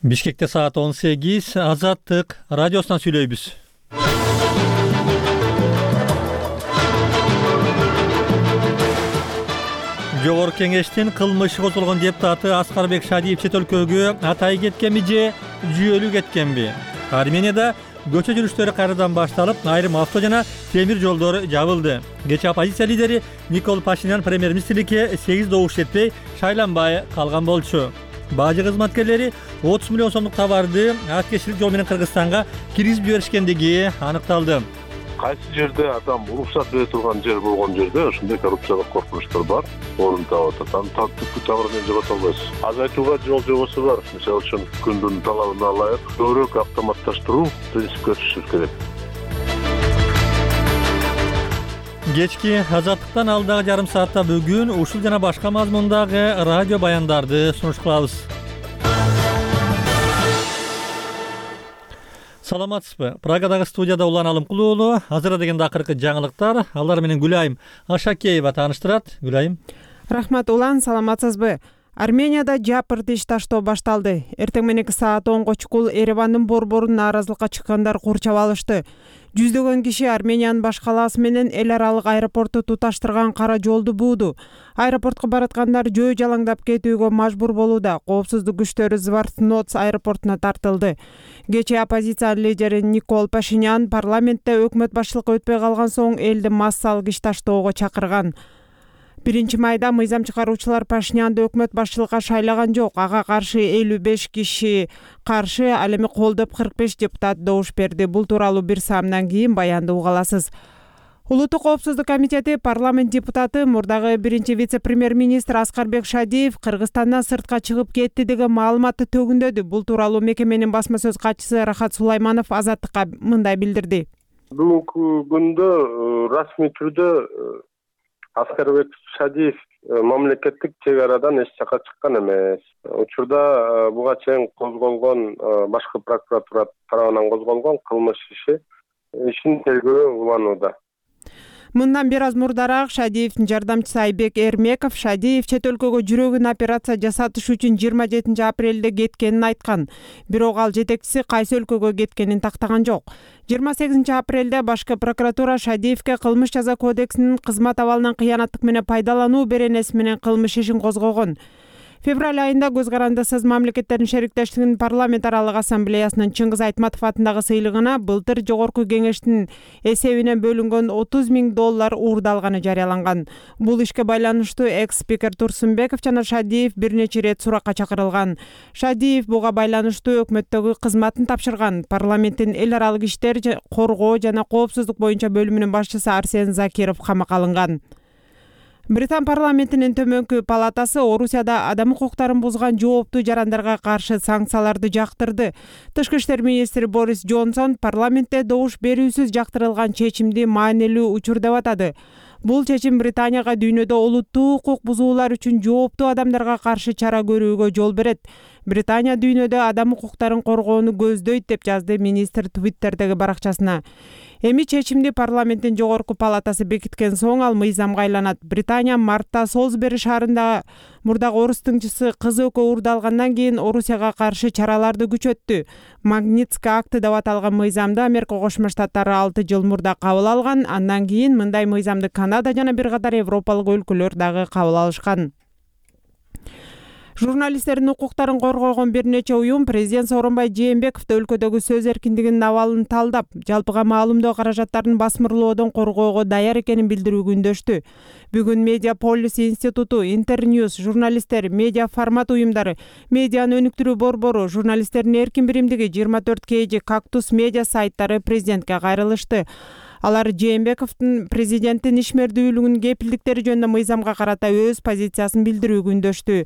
Бишкекте саат 18, Азаттык радиосунан сүйлөйбүз. Жогорку кеңештин кылмыш козголгон депутаты Аскарбек Шадиев чет өлкөгө атай кеткенби же жүйөлүү кеткенби? Арменияда көчө жүрүштөрү кайрадан башталып, айрым авто жана темир жолдор жабылды. Кечээ оппозиция лидери Никол Пашинян премьер-министрликке 8 добуш жетпей шайланбай калган болчу. Бажы кызматкерлери 30 миллион сомдук товарды акчелик жол менен Кыргызстанга киргизип жиберишкендиги аныкталды. Кайсы жерде адам уруксат бере турган жер болгон жерде ошондой коррупциялык коркунучтар бар, орун таап атат. Аны түпкү тамырынан жогото албайсыз. Азайтууга жол жобосу бар. Мисалы үчүн күндүн талабына ылайык көбүрөөк автоматташтыруу принципке түшүш керек. Кечки Азаттыктан алдагы жарым саатта бүгүн ушул жана башка мазмундагы радио баяндарды сунуш кылабыз. Саламатсызбы? Прагадагы студияда Улан Алымкулуу. Азыр дегенде акыркы жаңылыктар. Алар менен Гүлайым Ашакеева тааныштырат. Гүлайым. Рахмат Улан, саламатсызбы? Арменияда жапыр тиш таштоо башталды. Эртең мененки саат 10 чукул Еревандын борборун нааразылыкка чыккандар курчап алышты. Жүздөгөн киши Армениянын баш калаасы менен эл аралык аэропорту туташтырган кара жолду бууду. Аэропортко бараткандар жөө жалаңдап кетүүгө мажбур болууда. Коопсуздук күчтөрү Звартноц аэропортуна тартылды. Кечээ оппозиция лидери Никол Пашинян парламентте өкмөт башчылыкка өтпөй калган соң элди массалык иш таштоого чакырган. 1-майда мыйзам чыгаруучулар Пашинянды өкмөт башчылыкка шайлаган жок. Ага каршы 55 киши каршы, ал эми колдоп 45 депутат добуш берди. Бул тууралуу бир саамдан кийин баянды уга аласыз. Улуттук коопсуздук комитети парламент депутаты мурдагы биринчи вице-премьер-министр Аскарбек Шадиев Кыргызстандан сыртка чыгып кетти деген маалыматты төгүндөдү. Бул тууралуу мекеменин басма сөз катчысы Рахат Сулайманов Азаттыкка мындай билдирди. Бүгүнкү күндө расмий түрдө Аскарбек Шадиев мамлекеттик чек арадан эч жака чыккан эмес. Учурда буга чейин козголгон башкы прокуратура тарабынан козголгон кылмыш ишин тергөө уланууда. Мындан бир аз мурдараак Шадиевдин жардамчысы Айбек Эрмеков Шадиев чет өлкөгө жүрөгүн операция жасатыш үчүн 27 апрелде кеткенин айткан. Бирок ал жетекчиси кайсы өлкөгө кеткенин тактаган жок. 28 апрелде башкы прокуратура Шадиевке кылмыш жаза кодексинин кызмат абалынан кыянаттык менен пайдалануу беренеси менен кылмыш ишин козгогон. Февраль айында Көз карандысыз мамлекеттердин шериктештигинин парламент аралык ассамблеясынын Чыңгыз Айтматов атындагы сыйлыгына былтыр жогорку кеңештин эсебинен бөлүнгөн $30,000 уурдалганы жарыяланган. Бул ишке байланыштуу экс-спикер Турсунбеков жана Шадиев бир нече ирет суракка чакырылган. Шадиев буга байланыштуу өкмөттөгү кызматын тапшырган. Парламенттин эл аралык иштер коргоо жана коопсуздук боюнча бөлүмүнүн башчысы Арсен Закиров камакка алынган. Британ парламентинин төмөнкү палатасы Орусияда адам укуктарын бузган жооптуу жарандарга каршы санкцияларды жактырды. Тышкы иштер министри Борис Джонсон парламентте добуш берүүсүз жактырылган чечимди маанилүү учур деп атады. Бул чечим Британияга дүйнөдө олуттуу укук бузуулар үчүн жооптуу адамдарга каршы чара көрүүгө жол берет. Британия дүйнөдө адам укуктарын коргоону көздөйт деп жазды министр Твиттердеги баракчасына. Эми чечимди парламенттин жогорку палатасы бекиткен соң ал мыйзамга айланат. Британия мартта Солсбери шаарында мурдагы орус тыңчысы кыз экөө уурдалгандан кийин Орусияга каршы чараларды күчөттү. Магнитский акты деп аталган мыйзамды Америка Кошмо Штаттары 6 жыл мурда кабыл алган. Андан кийин мындай мыйзамды Канада жана бир катар европалык өлкөлөр дагы кабыл алышкан. Журналисттердин укуктарын коргогон бир нече уюм президент Сооронбай Жээнбековду өлкөдөгү сөз эркиндигинин абалын талдап, жалпыга маалымдоо каражаттарын басмырлоодон коргоого даяр экенин билдирүүгө үндөштү. Бүгүн Медиаполис институту, Интерньюз, журналисттер, медиа формат уюмдары, медианы өнүктүрүү борбору, журналисттердин эркин биримдиги 24 KG, Кактус медиа сайттары президентке кайрылышты. Алар Жээнбековдун президенттин ишмердүүлүгүнүн кепилдиктери жөнүндө мыйзамга карата өз позициясын билдирүүгө үндөштү.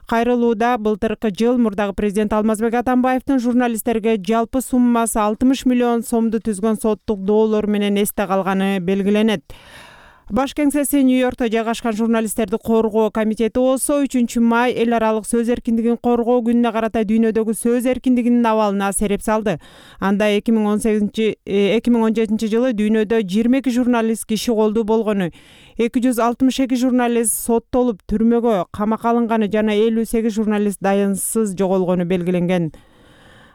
Кайрылууда былтыркы жыл мурдагы президент Алмазбек Атамбаевдин журналисттерге жалпы суммасы 60 миллион сомду түзгөн соттук доолор менен эсте калганы белгиленет. Баш кеңсеси Нью-Йоркто жайгашкан журналисттерди коргоо комитети болсо 3-май эл аралык сөз эркиндигин коргоо күнүнө карата дүйнөдөгү сөз эркиндигинин абалына сереп салды. Анда 2017 жылы дүйнөдө 22 журналист киши колдуу болгону, 262 журналист соттолуп түрмөгө камакка алынганы жана 58 журналист дайынсыз жоголгону белгиленген.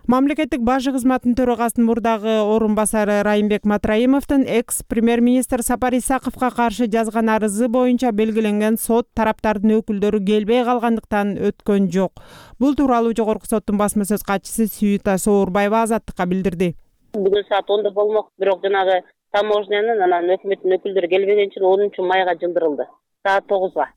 Мамлекеттик бажы кызматынын төрагасынын мурдагы орун басары Райымбек Матраимовдун экс-премьер-министр Сапар Исаковго каршы жазган арызы боюнча белгиленген сот тараптардын өкүлдөрү келбей калгандыктан өткөн жок. Бул тууралуу жогорку соттун басма сөз катчысы Сүйүта Соорбаева Азаттыкка билдирди. Бүгүн саат 10 болмок, бирок жанагы таможнянын анан өкмөттүн өкүлдөрү келбеген үчүн 10-майга жылдырылды. Саат 9-га.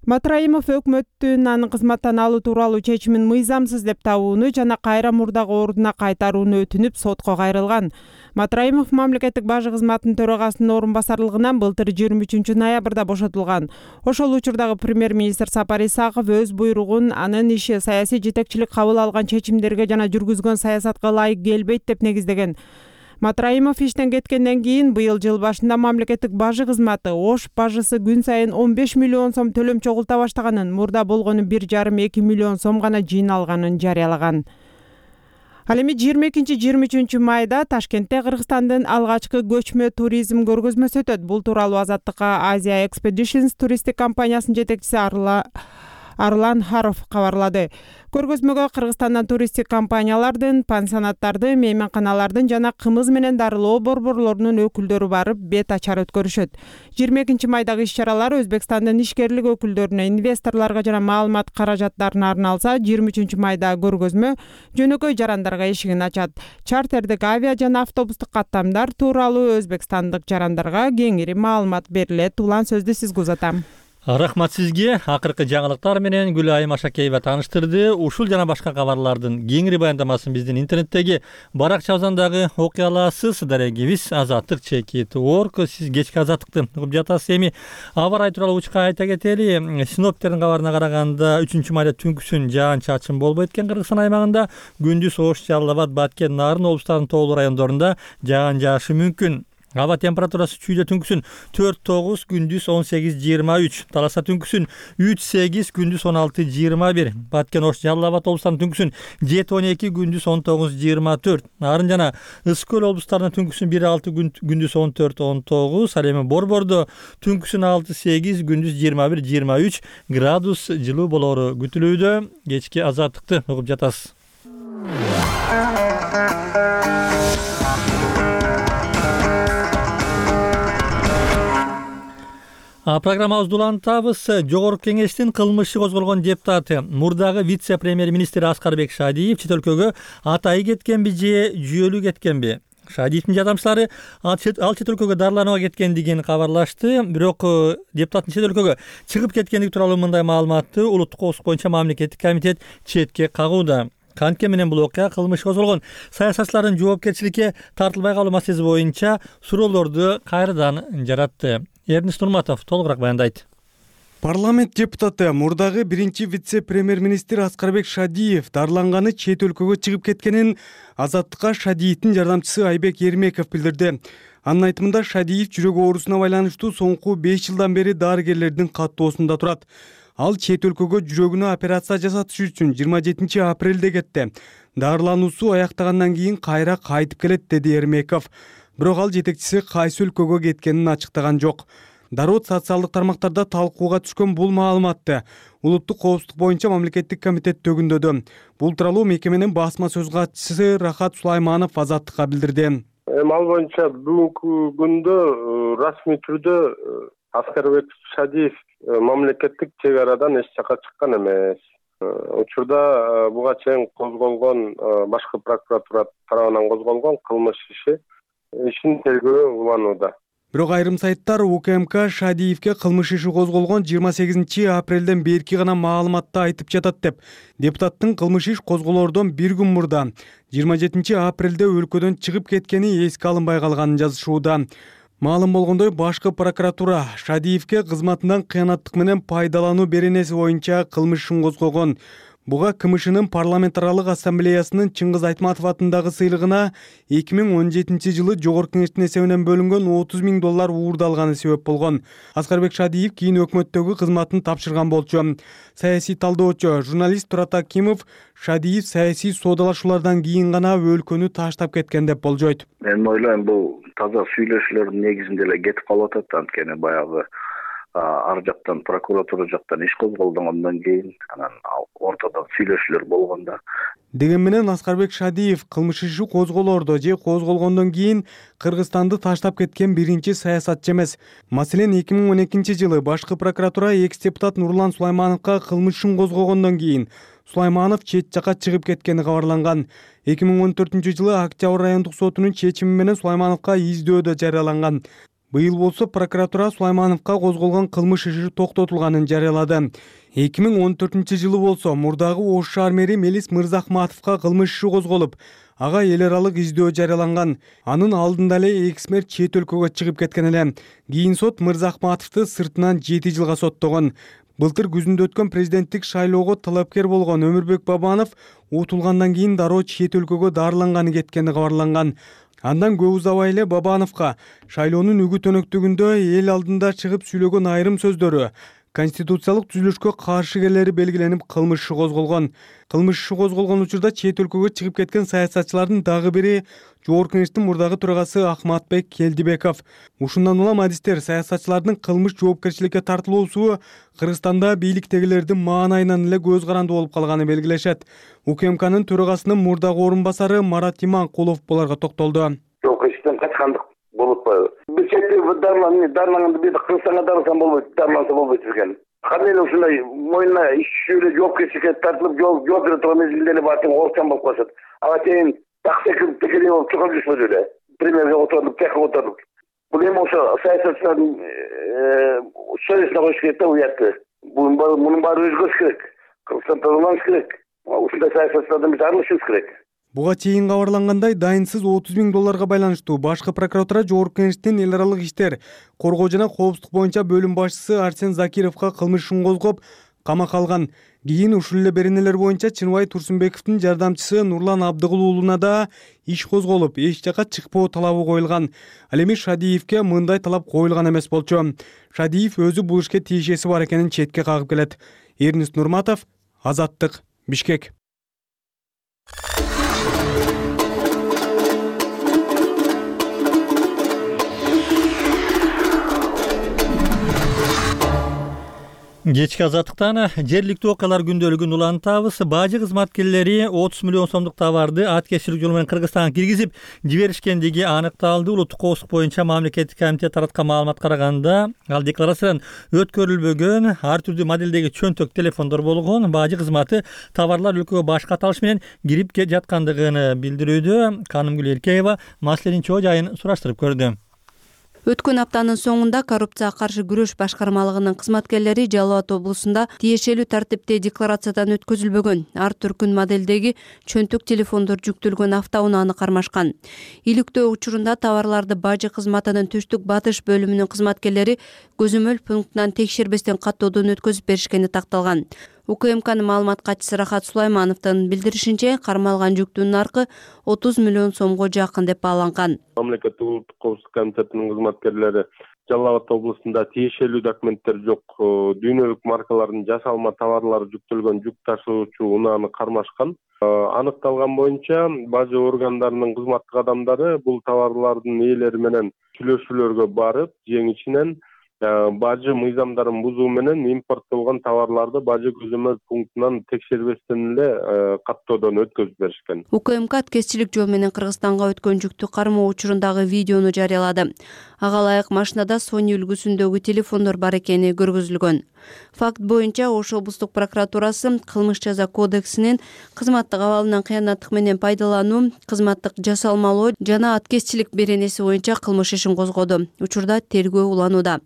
Матраимов өкмөттүн анын кызматтан алуу тууралуу чечимин мыйзамсыз деп табууну жана кайра мурдагы ордуна кайтарууну өтүнүп сотко кайрылган. Матраимов мамлекеттик бажы кызматынын төрагасынын орун басарлыгынан былтыр 23-ноябрда бошотулган. Ошол учурдагы премьер-министр Сапар Исаков өз буйругун анын иши саясий жетекчилик кабыл алган чечимдерге жана жүргүзгөн саясатка ылайык келбейт деп негиздеген. Матраимов иштен кеткенден кийин быйыл жыл башында мамлекеттик бажы кызматы Ош бажысы күн сайын 15 миллион сом төлөм чогулта баштаганын, мурда болгону 1,5-2 миллион сом гана жыйналганын жарыялаган. Ал эми 22-23 майда Ташкентте Кыргызстандын алгачкы көчмө туризм көргөзмөсү өтөт. Бул тууралуу Азаттыкка Asia Expeditions туристтик компаниясынын жетекчиси Арлан Харов кабарлады. Көргөзмөгө Кыргызстандан туристтик компаниялардын, пансионаттардын, мейманканалардын жана кымыз менен дарылоо борборлорунун өкүлдөрү барып бет ачар өткөрүшөт. 22 майдагы иш-чаралар Өзбекстандын ишкерлик өкүлдөрүнө, инвесторлорго жана маалымат каражаттарына арналса, 23 майда көргөзмө жөнөкөй жарандарга эшигин ачат. Чартердик авиа жана автобустук каттамдар тууралуу өзбекстандык жарандарга кеңири маалымат берилет. Улан сөздү сизге узатам. Рахмат сизге. Акыркы жаңылыктар менен Гүлайым Ашакеева тааныштырды. Ушул жана башка кабарлардын кеңири баяндамасын биздин интернеттеги баракчабыздан окуй аласыз. Дарегибиз Азаттык @org. Сиз кечки Азаттыкты угуп жатасыз. Эми аба ырайы тууралуу учка айта кетели. Синоптиктердин кабарына караганда 3 майда түнкүсүн жаан-чачын болбойт экен Кыргызстан аймагында. Күндүз Ош, Жалал Абад, Баткен, Нарын облустарынын тоолуу райондорунда жаан жаашы мүмкүн. Аба температурасы чүйдө түнкүсүн 4-9, күндүз 18-23, Таласа түнкүсүн 3-8, күндүз 16-21, Баткен, Ош, Жалал Абад облустарынын түнкүсүн 7-12, күндүз 19-24, Нарын жана Ысык көл облустарынын түнкүсүн 1-6, күндүз 14-19, ал эми Борбордо түнкүсүн 6-8, күндүз 21-23 градус жылуу болоору күтүлүүдө. Кечки Азаттыкты угуп жатасыз. Программабызды улантабыз. Жогорку кеңештин кылмышы козголгон депутаты, мурдагы вице-премьер-министр Аскарбек Шадиев чет өлкөгө атайы кеткенби же жүйөлүү кеткенби? Шадиевдин жардамчылары ал чет өлкөгө дарыланууга кеткендигин кабарлашты. Бирок депутаттын чет өлкөгө чыгып кеткендиги тууралуу мындай маалыматты улуттук коопсуздук боюнча мамлекеттик комитет четке кагууда. Кантке менен бул окуя кылмыш козголгон саясатчылардын жоопкерчиликке тартылбай калуу маселеси боюнча суроолорду кайрадан жаратты. Эрнис Нурматов толугураак баяндайт. Парламент депутаты мурдагы биринчи вице-премьер-министр Аскарбек Шадиев дарыланганы чет өлкөгө чыгып кеткенин Азаттыкка Шадиевдин жардамчысы Айбек Эрмеков билдирди. Анын айтымында Шадиев жүрөк оорусуна байланыштуу соңку 5 жылдан бери дарыгерлердин каттоосунда турат. Ал чет өлкөгө жүрөгүнө операция жасатыш үчүн 27 апрелде кетти. Дарылануусу аяктагандан кийин кайра кайтып келет, деди Эрмеков. Бирок ал жетекчиси кайсы өлкөгө кеткенин ачыктаган жок. Дароо социалдык тармактарда талкууга түшкөн бул маалыматты улуттук коопсуздук боюнча мамлекеттик комитет төгүндөдү. Бул тууралуу мекеменин басма сөз катчысы Рахат Сулайманов Азаттыкка билдирди. Ал боюнча бүгүнкү күндө расмий түрдө Аскарбек Шадиев мамлекеттик чек арадан эч жака чыккан эмес. Учурда буга чейин козголгон башкы прокуратура тарабынан козголгон кылмыш ишин тергөө уланууда. Бирок айрым сайттар УКМК Шадиевке кылмыш иши козголгон 28 апрелден берки гана маалыматты айтып жатат деп. Депутаттын кылмыш иш козголоордон бир күн мурда 27 апрелде өлкөдөн чыгып кеткени эске алынбай калганын жазышууда. Маалым болгондой, башкы прокуратура Шадиевке кызматынан кыянаттык менен пайдалануу беренеси боюнча кылмыш ишин козгогон. Буга КМШнын парламентаралык ассамблеясынын Чыңгыз Айтматов атындагы сыйлыгына 2017 жылы жогорку кеңештин эсебинен бөлүнгөн $30,000 уурдалганы себеп болгон. Аскарбек Шадиев кийин өкмөттөгү кызматын тапшырган болчу. Саясий талдоочу журналист Турат Акимов Шадиев саясий соодалашуулардан кийин гана өлкөнү таштап кеткен деп болжойт. Мен ойлойм, бул таза сүйлөшүүлөрдүн негизинде эле кетип калып атат, анткени баягы ар жактан прокуратура жактан иш козголгондон кийин анан ортодо сүйлөшүүлөр болгондо. Деген менен Аскарбек Шадиев кылмыш иши козголоордо же козголгондон кийин Кыргызстанды таштап кеткен биринчи саясатчы эмес. Маселен 2012-жылы башкы прокуратура экс-депутат Нурлан Сулаймановго кылмыш ишин козгогондон кийин Сулайманов чет жакка чыгып кеткени кабарланган. 2014-жылы Октябрь райондук сотунун чечими менен Сулаймановго издөөдө жарыяланган. Быйыл болсо прокуратура Сулаймановго козголгон кылмыш иши токтотулганын жарыялады. 2014-жылы болсо мурдагы Ош шаар мэри Мелис Мырзахматовго кылмыш иши козголуп, ага эл аралык издөө жарыяланган. Анын алдында эле экс-мэр чет өлкөгө чыгып кеткен эле. Кийин сот Мырзахматовду сыртынан 7 жылга соттогон. Былтыр күзүндө өткөн президенттик шайлоого талапкер болгон Өмүрбек Бабанов утулгандан кийин дароо чет өлкөгө дарыланганы кеткени кабарланган. Андан көп узабай эле Бабановго шайлоонун үгүт өнөктүгүндө эл алдында чыгып сүйлөгөн айрым сөздөрү конституциялык түзүлүшкө каршы келери белгиленип кылмыш иши козголгон. Кылмыш иши козголгон учурда чет өлкөгө чыгып кеткен саясатчылардын дагы бири Жогорку Кеңештин мурдагы төрагасы Ахматбек Келдибеков. Ушундан улам адистер саясатчылардын кылмыш жоопкерчиликке тартылуусу Кыргызстанда бийликтегилердин маанайынан эле көз карандуу болуп калганын белгилешет. УКМКнын төрагасынын мурдагы орун басары Марат Иманкулов буларга токтолду. Жоопкерчиликтен качкандык болуп атпайбы? Бир четте дарыланганда бир Кыргызстанга дарылсан болбойт, дарыланса болбойт экен. Кандай эле ушундай мойнуна иш жүзүндө жоопкерчиликке тартылып жооп бере турган мезгилде эле баатың оорчан болуп калышат. Ага чейин таксекип текелей болуп чыгып жүрүшпөдү эле. Премьерге отуруп, тияка отуруп. Бул эми ошо саясатчылардын совестине коюш керек да уятты. Мунун баары өзгөрүш керек. Кыргызстан тазаланыш керек. Ушундай саясатчылардан биз арылышыбыз керек. Буга чейин кабарлангандай, дайынсыз $30,000 байланыштуу башкы прокуратура Жогорку Кеңештин эл аралык иштер, коргоо жана коопсуздук боюнча бөлүм башчысы Арсен Закировго кылмыш ишин козгоп, камакка алган. Кийин ушул эле беренелер боюнча Чынбай Турсунбековдун жардамчысы Нурлан Абдыгулуулуна да иш козголуп, эч жакка чыкпоо талабы коюлган. Ал эми Шадиевге мындай талап коюлган эмес болчу. Шадиев өзү бул ишке тиешеси бар экенин четке кагып келет. Эрнис Нурматов, Азаттык, Бишкек. Кечки Азаттыктан жергиликтүү окуялар күндөлүгүн улантабыз. Бажы кызматкерлери 30 миллион сомдук товарды аткезчилик жол менен Кыргызстанга киргизип жиберишкендиги аныкталды. Улуттук коопсуздук боюнча мамлекеттик комитет тараткан маалымат караганда, ал декларациядан өткөрүлбөгөн ар түрдүү модельдеги чөнтөк телефондор болгон. Бажы кызматы товарлар өлкөгө башка аталыш менен кирип жаткандыгын билдирүүдө. Канымгүл Эркеева маселенин чоо жайын сураштырып көрдү. Өткөн аптанын соңунда коррупцияга каршы күрөш башкармалыгынын кызматкерлери Жалал Абад облусунда тиешелүү тартипте декларациядан өткөзүлбөгөн ар түркүн модельдеги чөнтөк телефондор жүктөлгөн автоунааны кармашкан. Иликтөө учурунда товарларды бажы кызматынын түштүк батыш бөлүмүнүн кызматкерлери көзөмөл пунктунан текшербестен каттоодон өткөзүп беришкени такталган. УКМКнын маалымат катчысы Рахат Сулаймановдун билдиришинче, кармалган жүктүн наркы 30 миллион сомго жакын деп бааланган. Мамлекеттик улуттук коопсуздук комитетинин кызматкерлери Жалал Абад облусунда тиешелүү документтер жок, дүйнөлүк маркалардын жасалма товарлары жүктөлгөн жүк ташуучу унааны кармашкан. Аныкталган боюнча бажы органдарынын кызматтык адамдары бул товарлардын ээлери менен сүйлөшүүлөргө барып, ең ичинен бажы мыйзамдарын бузуу менен импорттолгон товарларды бажы көзөмөл пунктунан текшербестен эле каттоодон өткөзүп беришкен. УКМК аткезчилик жол менен Кыргызстанга өткөн жүктү кармоо учурундагы видеону жарыялады. Ага ылайык машинада Sony үлгүсүндөгү телефондор бар экени көргөзүлгөн. Факт боюнча Ош облустук прокуратурасы кылмыш жаза кодексинин кызматтык абалынан кыянаттык менен пайдалануу, кызматтык жасалмалоо жана аткезчилик беренеси боюнча кылмыш ишин козгоду. Учурда тергөө уланууда.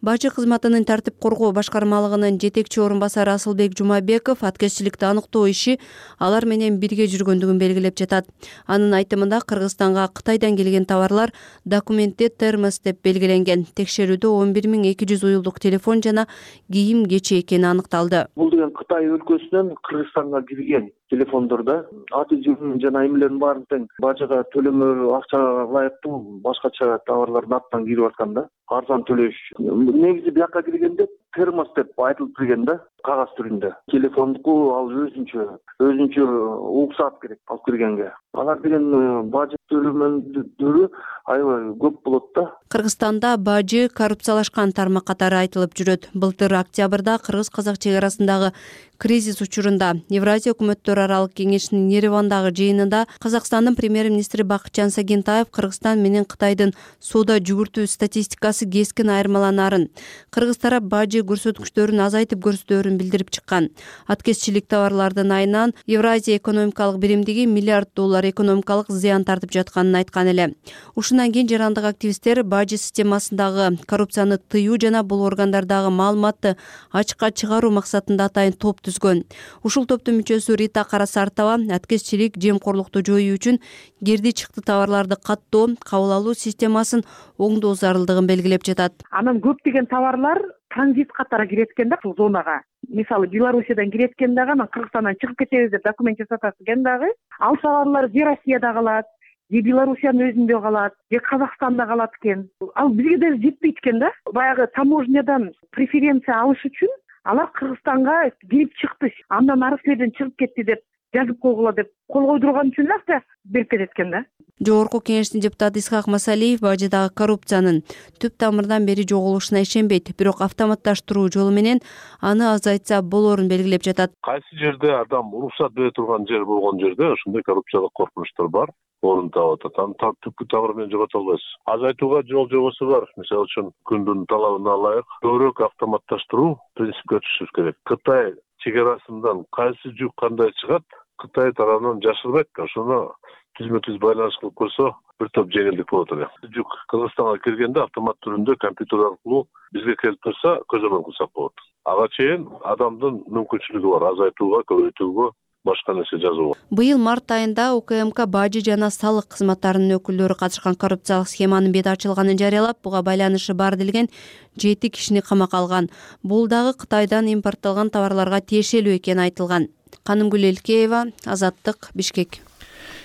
Бажы кызматынын тартип коргоо башкармалыгынын жетекчи орун басары Асылбек Жумабеков аткезчиликти аныктоо иши алар менен бирге жүргөндүгүн белгилеп жатат. Анын айтымында Кыргызстанга Кытайдан келген товарлар документте термос деп белгиленген. Текшерүүдө 11.200 уюлдук телефон жана кийим кечи экени аныкталды. Бул деген Кытай өлкөсүнөн Кыргызстанга кирген телефондордо аты жөнүн жана эмелердин баарын тең бажыга төлөмө акчага ылайыктуу башкача товарлардын атынан кирип аткан да. Арзан төлөш. Негизи бияка киргенде термос деп айтылып кирген да. кагаз түрүндө. Телефондуку ал өзүнчө уруксаат керек алып киргенге. Алар деген бажы төлөмөндөрү аябай көп болот да. Кыргызстанда бажы коррупциялашкан тармак катары айтылып жүрөт. Былтыр октябрда кыргыз-казак чек арасындагы кризис учурунда Евразия өкмөттөр аралык кеңешинин Еревандагы жыйынында Казакстандын премьер-министри Бакытжан Сагентаев Кыргызстан менен Кытайдын соода жүгүртүү статистикасы кескин айырмаланаарын, кыргыз тарап бажы көрсөткүчтөрүн азайтып көрсөтөөрүн билдирип чыккан. Аткезчилик товарлардын айынан Евразия экономикалык биримдиги $1 миллиард экономикалык зыян тартып жатканын айткан эле. Ушундан кийин жарандык активисттер бажы системасындагы коррупцияны тыюу жана бул органдардагы маалыматты ачыкка чыгаруу максатында атайын топ түзгөн. Ушул топтун мүчөсү Рита Карасартова аткезчилик, жемкорлукту жоюу үчүн кирди чыкты товарларды каттоо, кабыл алуу системасын оңдоо зарылдыгын белгилеп жатат. Анан көптөгөн товарлар транзит катары кирет экен да бул зонага. Мисалы Белоруссиядан кирет экен дагы, анан Кыргызстандан чыгып кетебиз деп документ жасатат экен дагы. Ал товарлар же Россияда калат, же Белоруссиянын өзүндө калат, же Казакстанда калат экен. Ал бизге да жетпейт экен да. Баягы таможнядан преференция алыш үчүн алар Кыргызстанга кирип чыкты, андан ары силерден чыгып кетти деп жазып койгула деп кол койдурган үчүн акча берип кетет экен да. Жогорку кеңештин депутаты Исхак Масалиев бажыдагы коррупциянын түп тамырдан бери жоголушуна ишенбейт, бирок автоматташтыруу жолу менен аны азайтса болоорун белгилеп жатат. Кайсы жерде адам уруксат бере турган жер болгон жерде ошондой коррупциялык коркунучтар бар, орун таап атат. Аны түпкү тамыры менен жогото албайсыз. Азайтууга жол жобосу бар. Мисалы үчүн күндүн талабына ылайык көбүрөөк автоматташтыруу принципке өтүшүбүз керек. Кытай чек арасынан кайсы жүк кандай чыгат, Кытай тарабынан жашырбайт. Ошону түзмө-түз байланыш кылып койсо, бир топ жеңилдик болот эле. Жүк Кыргызстанга киргенде автомат түрүндө компьютер аркылуу бизге келип турса, көзөмөл кылсак болот. Ага чейин адамдын мүмкүнчүлүгү бар азайтууга, көбөйтүүгө, башка нерсе жазууга. Быйыл март айында УКМК бажы жана салык кызматтарынын өкүлдөрү катышкан коррупциялык схеманын бети ачылганын жарыялап, буга байланышы бар делген 7 кишини камакка алган. Бул дагы Кытайдан импортталган товарларга тиешелүү экени айтылган. Канымгүл Элкеева, Азаттык, Бишкек.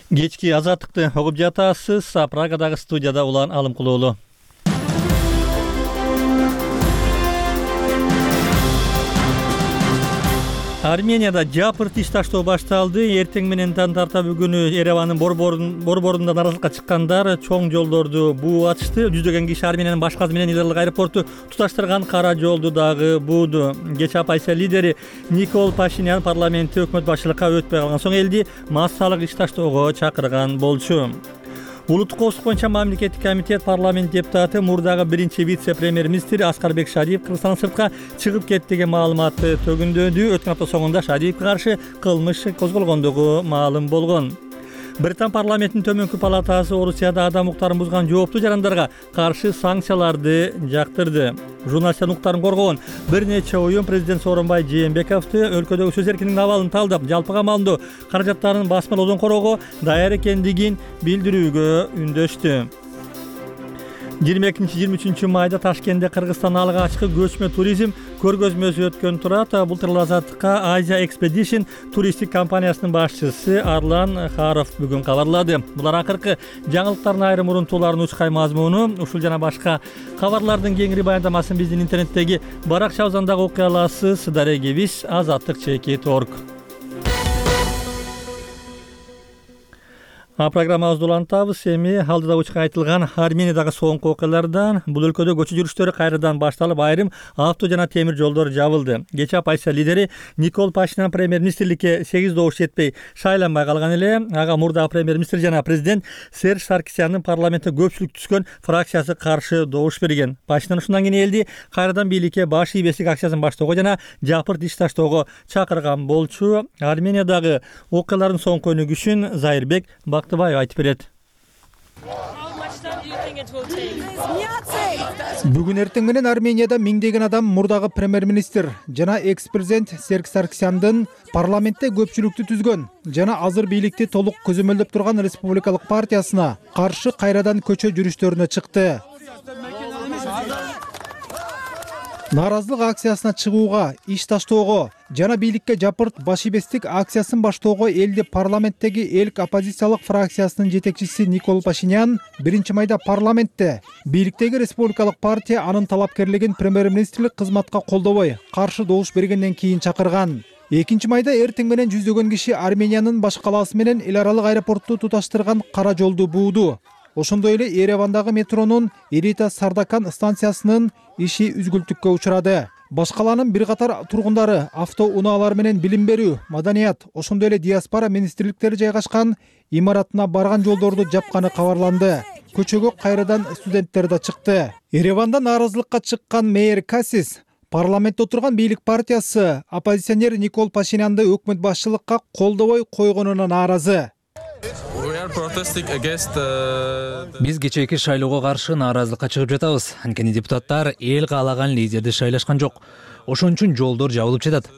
Кечки Азаттыкты угуп жатасыз. Прагадагы студияда Улан Алымкулуулу. Арменияда жапырт иш таштоо башталды. Эртең менен тарта бүгүнү Еревандын борборунда наразылыкка чыккандар чоң жолдорду буу ачышты. Жүздөгөн киши Армениянын башказы менен Иларлык аэропорту туташтырган кара жолду дагы бууду. Кечээ оппозиция лидери Никол Пашинян парламентте өкмөт башчылыкка өтпөй калган соң элди массалык иш таштоого чакырган болчу. Улуттук коопсуздук боюнча мамлекеттик комитет парламент депутаты мурдагы биринчи вице-премьер-министр Аскарбек Шадиев Кыргызстандан сыртка чыгып кетти деген маалыматты төгүндөдү. Өткөн апта соңунда Шадиевке каршы кылмыш козголгондугу маалым болгон. Британ парламентинин төмөнкү палатасы Орусияда адам укуктарын бузган жооптуу жарандарга каршы санкцияларды жактырды. Журналисттер укуктарын коргогон бир нече уюм президент Сооронбай Жээнбековду өлкөдөгү сөз эркиндигинин абалын талдап, жалпыга маалымдоо каражаттарын басмалоодон короого даяр экендигин билдирүүгө үндөштү. 22-23 майда Ташкентте Кыргызстан алгачкы көчмө туризм көргөзмөсү өткөн турат. Былтыр Азаттыкка Asia Expedition туристтик компаниясынын башчысы Арлан Харов бүгүн кабарлады. Булар акыркы жаңылыктардын айрым урунтууларынын учкай мазмуну. Ушул жана башка кабарлардын кеңири баяндамасын биздин интернеттеги баракчабыздан дагы окуй аласыз. Дарегибиз azattik.org. Программабызды улантабыз. Эми алдыда учка айтылган Армениядагы соңку окуялардан. Бул өлкөдө көчө жүрүштөрү кайрадан башталып, айрым авто жана темир жолдор жабылды. Кечээ оппозиция лидери Никол Пашинян премьер-министрликке 8 добуш жетпей шайланбай калган эле. Ага мурдагы премьер-министр жана президент Серж Саркисяндын парламентте көпчүлүк түзгөн фракциясы каршы добуш берген. Пашинян ушундан кийин элди кайрадан бийликке баш ийбестик акциясын баштоого жана жапырт иш таштоого чакырган болчу. Армениядагы окуялардын соңку өнүгүшүн Зайырбек Бактыбаев айтып берет. Бүгүн эртең менен Арменияда миңдеген адам мурдагы премьер-министр жана экс-президент Серж Саркисяндын парламентте көпчүлүктү түзгөн жана азыр бийликти толук көзөмөлдөп турган республикалык партиясына каршы кайрадан көчө жүрүштөрүнө чыкты. Нааразылык акциясына чыгууга, иш таштоого жана бийликке жапырт баш ийбестик акциясын баштоого элди парламенттеги элк оппозициялык фракциясынын жетекчиси Никол Пашинян 1-майда парламентте бийликтеги республикалык партия анын талапкерлигин премьер-министрлик кызматка колдобой каршы добуш бергенден кийин чакырган. 2-майда эртең менен жүздөгөн киши Армениянын баш калаасы менен эл аралык аэропортту туташтырган кара жолду бууду. Ошондой эле Еревандагы метронун Эрита Сардакан станциясынын иши үзгүлтүккө учурады. Баш каланын бир катар тургундары автоунаалар менен билим берүү, маданият, ошондой эле диаспора министрликтери жайгашкан имаратына барган жолдорду жапканы кабарланды. Көчөгө кайрадан студенттер да чыкты. Ереванда нааразылыкка чыккан мэр Касис парламентте отурган бийлик партиясы оппозиционер Никол Пашинянды өкмөт башчылыкка колдобой койгонуна нааразы. Биз кечээки шайлоого каршы нааразылыкка чыгып жатабыз. Анткени депутаттар эл каалаган лидерди шайлашкан жок. Ошон үчүн жолдор жабылып жатат.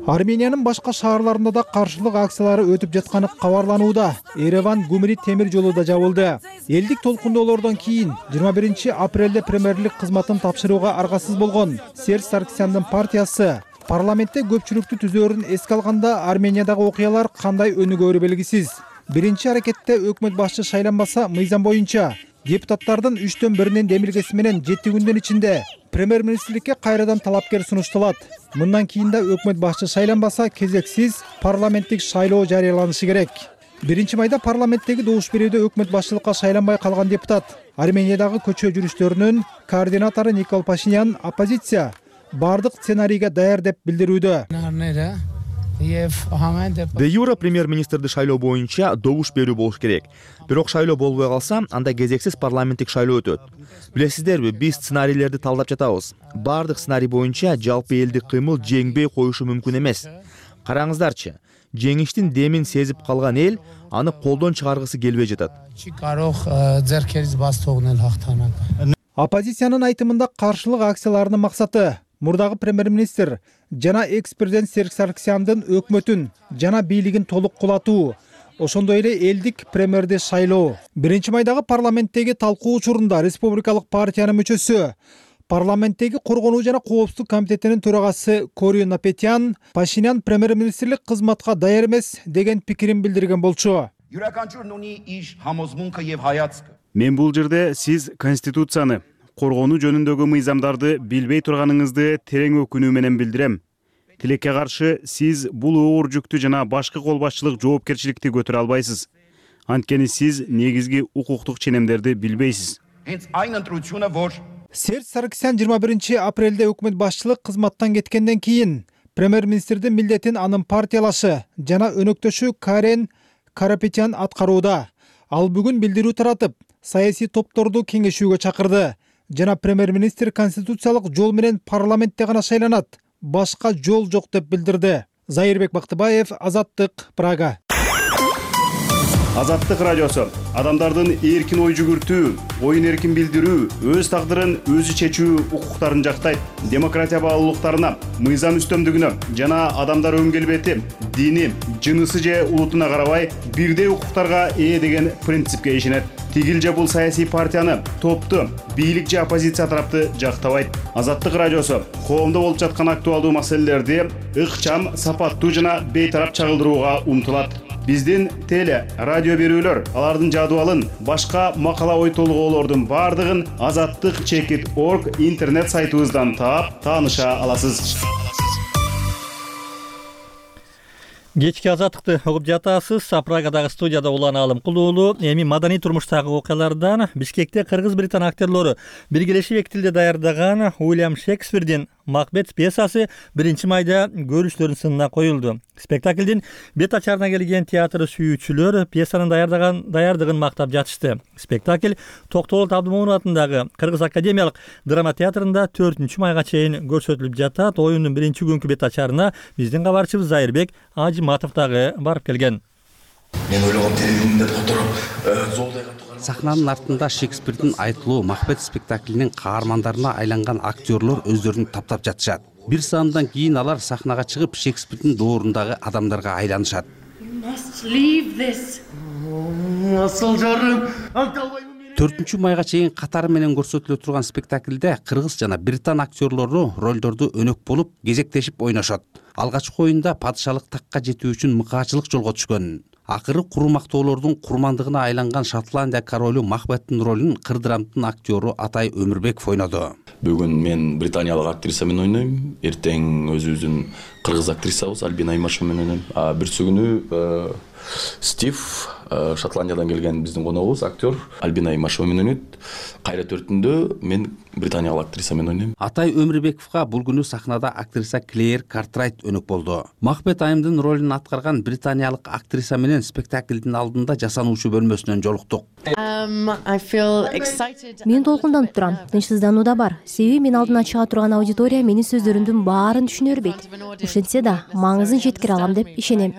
Армениянын башка шаарларында да каршылык акциялары өтүп жатканы кабарланууда. Ереван Гумри темир жолу да жабылды. Элдик толкундоолордон кийин 21 апрелде премьерлик кызматын тапшырууга аргасыз болгон Серж Саркисяндын партиясы парламентте көпчүлүктү түзөөрүн эске алганда Армениядагы окуялар кандай өнүгөөрү белгисиз. Биринчи аракетте өкмөт башчы шайланбаса, мыйзам боюнча депутаттардын 3/1 демилгеси менен 7 күндүн ичинде премьер-министрликке кайрадан талапкер сунушталат. Мындан кийин да өкмөт башчы шайланбаса, кезексиз парламенттик шайлоо жарыяланышы керек. 1-майда парламенттеги добуш берүүдө өкмөт башчылыкка шайланбай калган депутат Армениядагы көчө жүрүштөрүнүн координатору Никол Пашинян оппозиция бардык сценарийге даяр деп билдирүүдө. Де юра премьер-министрди шайлоо боюнча добуш берүү болуш керек. Бирок шайлоо болбой калса, анда кезексиз парламенттик шайлоо өтөт. Билесиздерби, биз сценарийлерди талдап жатабыз. Бардык сценарий боюнча жалпы элдик кыймыл жеңбей коюшу мүмкүн эмес. Караңыздарчы, жеңиштин демин сезип калган эл аны колдон чыгаргысы келбей жатат. Оппозициянын айтымында каршылык акцияларынын максаты мурдагы премьер-министр жана экс-президент Серж Саркисяндын өкмөтүн жана бийлигин толук кулатуу, ошондой эле элдик премьерди шайлоо. 1-майдагы парламенттеги талкуу учурунда республикалык партиянын мүчөсү, парламенттеги коргонуу жана коопсуздук комитетинин төрагасы Кори Напетян Пашинян премьер-министрлик кызматка даяр эмес деген пикирин билдирген болчу. Мен бул жерде сиз конституцияны, коргонуу жөнүндөгү мыйзамдарды билбей турганыңызды терең өкүнүү менен билдирем. Тилекке каршы сиз бул оор жүктү жана башкы кол башчылык жоопкерчиликти көтөрө албайсыз. Анткени сиз негизги укуктук ченемдерди билбейсиз. Серж Саркисян 21 апрелде өкмөт башчылык кызматтан кеткенден кийин премьер-министрдин милдетин анын партиялашы жана өнөктөшү Карен Карапетян аткарууда. Ал бүгүн билдирүү таратып, саясий топторду кеңешүүгө чакырды. Жана премьер-министр конституциялык жол менен парламентте гана шайланат, башка жол жок деп билдирди. Зайырбек Бактыбаев, Азаттык, Прага. Азаттык радиосу адамдардын эркин ой жүгүртүү, оюн эркин билдирүү, өз тагдырын өзү чечүү укуктарын жактайт. Демократия баалуулуктарына, мыйзам үстөмдүгүнө жана адамдар өн келбети, дини, жынысы же улутуна карабай бирдей укуктарга ээ деген принципке ишенет. Тигил же бул саясий партияны, топту, бийлик же оппозиция тарапты жактабайт. Азаттык радиосу коомдо болуп жаткан актуалдуу маселелерди ыкчам, сапаттуу жана бейтарап чагылдырууга умтулат. Биздин теле, радио берүүлөр, алардын жадыбалын, башка макала ой толгоолордун бардыгын azattik.org интернет сайтыбыздан таап, тааныша аласыз. Кечки азаттыкты угуп жатасыз. Прагадагы студияда Улан Алым Кулуулу. Эми маданий турмуштагы окуялардан Бишкекте кыргыз-британ актерлору биргелешип эки тилде даярдаган Уильям Шекспирдин Макбет пьесасы 1-майда көрүүчүлөрдүн сынына коюлду. Спектаклдин бет ачарына келген театр сүйүүчүлөр пьесанын даярдыгын мактап жатышты. Спектакль Токтолот Абдымомунов атындагы Кыргыз академиялык драма театрында 4-майга чейин көрсөтүлүп жатат. Оюндун 1-күнкү бет ачарына биздин кабарчыбыз Зайырбек Ажиматов дагы барып келген. Мен ойлогом телевидениеде отуруп зоодойго Сахнанын артында Шекспирдин айтылуу Макбет спектаклинин каармандарына айланган актерлор өздөрүн таптап жатышат. Бир саамдан кийин алар сахнага чыгып Шекспирдин доорундагы адамдарга айланышат. 4 майга чейин катары менен көрсөтүлө турган спектакльде кыргыз жана британ актерлору ролдорду өнөк болуп кезектешип ойношот. Алгачкы оюнда падышалык такка жетүү үчүн мыкаачылык жолго түшкөн. Акыры куру мактоолордун курмандыгына айланган Шотландия королу Махбеттин ролун кырдырамдын актёру Атай Өмүрбеков ойноду. Бүгүн мен британиялык актриса менен ойнойм. Эртең өзүбүздүн кыргыз актрисабыз Альбина Аймашева менен ойнойм. Бүрсү күнү Стив Шотландиядан келген биздин коногубуз актер Альбина Аймашева менен ойнойт. Кайра төртүндө мен британиялык актриса менен ойнойм. Атай Өмүрбековго бул күнү сахнада актриса Клеер Картрайт өнөк болду. Махбет Айымдын ролун аткарган британиялык актриса менен спектаклдин алдында жасануучу бөлмөсүнөн жолуктук. Мен толкунданып турам. Тынчсыздануу да бар. Себеби мен алдына чыга турган аудитория менин сөздөрүмдүн баарын түшүнө бербейт. Ошентсе да маңызын жеткире алам деп ишенем.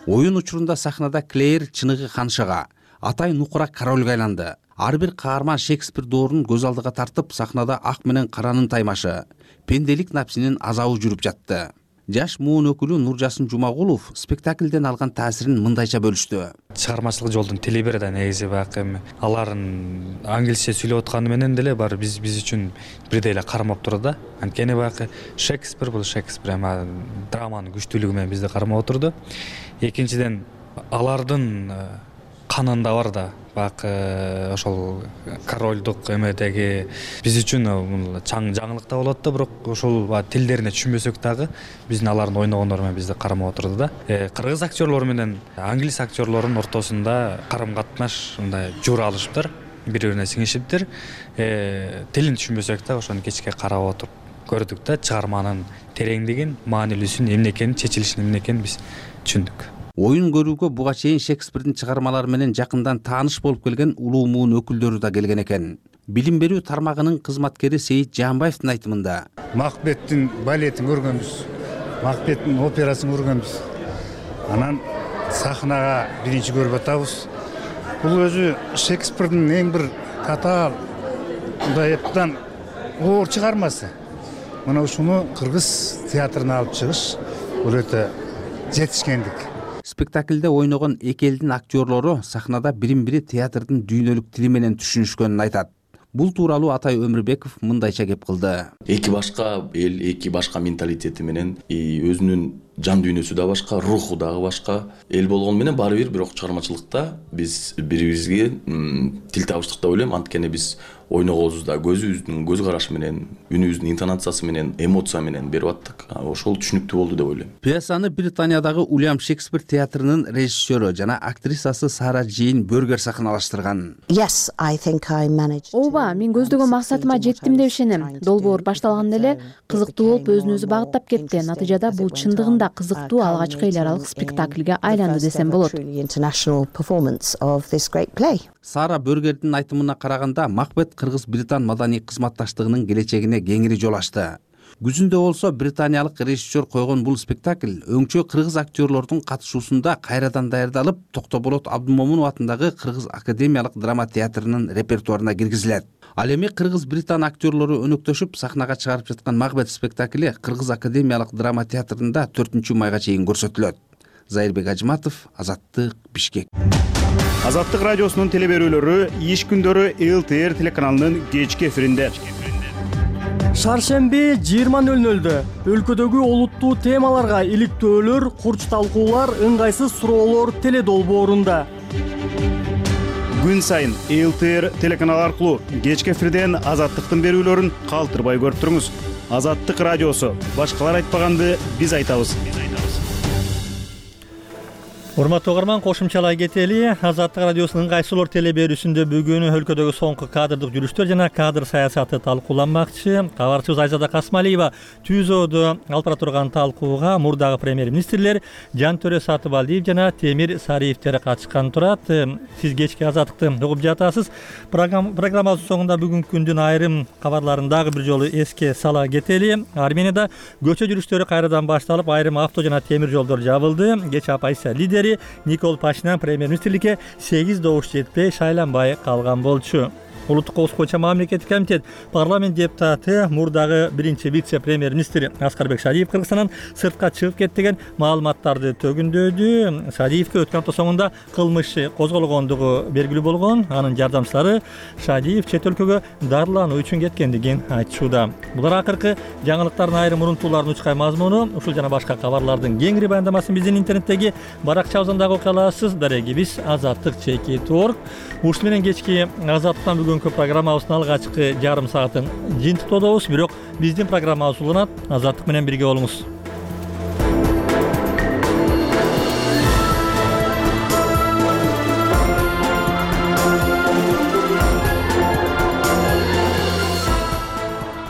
Оюн учурунда сахнада Клеер чыныгы ханшага, Атай нукура корольго айланды. Ар бир каарман Шекспир доорун көз алдыга тартып, сахнада ак менен каранын таймашы, пенделик напсинин азабы жүрүп жатты. Жаш муун өкүлү Нуржасын Жумагулов спектаклден алган таасирин мындайча бөлүштү. Чыгармачылык жолдун телебери да негизи бак эми алардын англисче сүйлөп атканы менен деле бар биз үчүн бирдей эле кармап турду да. Анткени бак Шекспир бул Шекспир, эми драманын күчтүүлүгү менен бизди кармап отурду. Экинчиден алардын канында бар да бак ошол корольдук эмедеги биз үчүн чаң жаңылык да болот да, бирок ошол тилдерине түшүнбөсөк дагы биздин алардын ойногондору менен бизди кармап отурду да. Кыргыз актерлору менен англис актерлорунун ортосунда карым-катнаш мындай жуура алышыптыр, бири-бирине сиңишиптир. Тилин түшүнбөсөк да ошону кечке карап отуруп көрдүк да, чыгарманын тереңдигин, маанилүүсүн эмне экенин, чечилишин эмне экенин биз түшүндүк. Оюн көрүүгө буга чейин Шекспирдин чыгармалары менен жакындан тааныш болуп келген улуу муун өкүлдөрү да келген экен. Билим берүү тармагынын кызматкери Сейит Жаанбаевдин айтымында: Махбеттин балетин көргөнбүз, Махбеттин операсын көргөнбүз. Анан сахнага биринчи көрүп атабыз. Бул өзү Шекспирдин эң бир татаал мындай эптан оор чыгармасы. Мына ушуну кыргыз театрына алып чыгыш бул өтө жетишкендик. Спектаклде ойногон эки элдин актерлору сахнада бирин-бири театрдын дүйнөлүк тили менен түшүнүшкөнүн айтат. Бул тууралуу Атай Өмүрбеков мындайча кеп кылды. Эки башка эл, эки башка менталитети менен өзүнүн жан дүйнөсү да башка, руху дагы башка эл болгону менен баары бир бирок чыгармачылыкта биз бири-бирибизге тил табыштык деп ойлойм. Анткени биз ойногобузда көзүбүздүн көз карашы менен, үнүбүздүн интонациясы менен, эмоция менен берип аттык. Ошол түшүнүктүү болду деп ойлойм. Пьесаны Британиядагы Уильям Шекспир театрынын режиссеру жана актрисасы Сара Джейн Бергер сахналаштырган. Ооба, мен көздөгөн максатыма жеттим деп ишенем. Долбоор башталганда эле кызыктуу болуп өзүн өзү багыттап кетти. Натыйжада бул чындыгында кызыктуу алгачкы эл аралык спектакльге айланды десем болот. Сара Бергердин айтымына караганда, Махбет кыргыз-британ маданий кызматташтыгынын келечегине кеңири жол ачты. Күзүндө болсо британиялык режиссер койгон бул спектакль өңчө кыргыз актерлордун катышуусунда кайрадан даярдалып, Токтоболот Абдымомунов атындагы Кыргыз академиялык драма театрынын репертуарына киргизилет. Ал эми кыргыз-британ актерлору өнөктөшүп сахнага чыгарып жаткан Махбет спектакли Кыргыз академиялык драма театрында 4 майга чейин көрсөтүлөт. Зайырбек Ажматов, Азаттык, Бишкек. Азаттык радиосунун телеберүүлөрү иш күндөрү ЛТР телеканалынын кечки эфиринде. Шаршемби 20:00 өлкөдөгү олуттуу темаларга иликтөөлөр, курч талкуулар, ыңгайсыз суроолор теледолбоорунда. Күн сайын ЛТР телеканалы аркылуу кечки эфирден Азаттыктын берүүлөрүн калтырбай көрүп туруңуз. Азаттык радиосу. Башкалар айтпаганды биз айтабыз. Урматтуу угарман, кошумчалай кетели. Азаттык радиосунун ыңгайсыздуулар телеберүүсүндө бүгүн өлкөдөгү соңку кадрдык жүрүштөр жана кадр саясаты талкууланмакчы. Кабарчыбыз Айзада Касмалиева түзөөдө алып бара турган талкууга мурдагы премьер-министрлер Жантөрө Сатыбалдиев жана Темир Сариевтер катышкан турат. Сиз кечки Азаттыкты угуп жатасыз. Программабыздын соңунда бүгүнкү күндүн айрым кабарларын дагы бир жолу эске сала кетели. Арменияда көчө жүрүштөрү кайрадан башталып, айрым авто жана темир жолдор жабылды. Кеч оппозиция лидери Никол Пашинян премьер-министрликке 8 добуш жетпей шайланбай калган болчу. улуттук коопсуздук боюнча мамлекеттик комитет парламент депутаты мурдагы биринчи вице премьер министр Аскарбек Шадиев Кыргызстандан сыртка чыгып кетти деген маалыматтарды төгүндөдү. Шадиевке өткөн апта соңунда кылмыш козголгондугу белгилүү болгон. Анын жардамчылары Шадиев чет өлкөгө дарылануу үчүн кеткендигин айтышууда. Булар акыркы жаңылыктардын айрым урунтууларын учкай мазмуну. Ушул жана башка кабарлардын кеңири баяндамасын биздин интернеттеги баракчабыздан дагы окуя аласыз. Дарегибиз azattik.org. Ушул менен кечки Азаттыктан бүгүнкү программабыздын алгачкы жарым саатын жыйынтыктоодобуз. Бирок биздин программабыз уланат. Азаттык менен бирге болуңуз.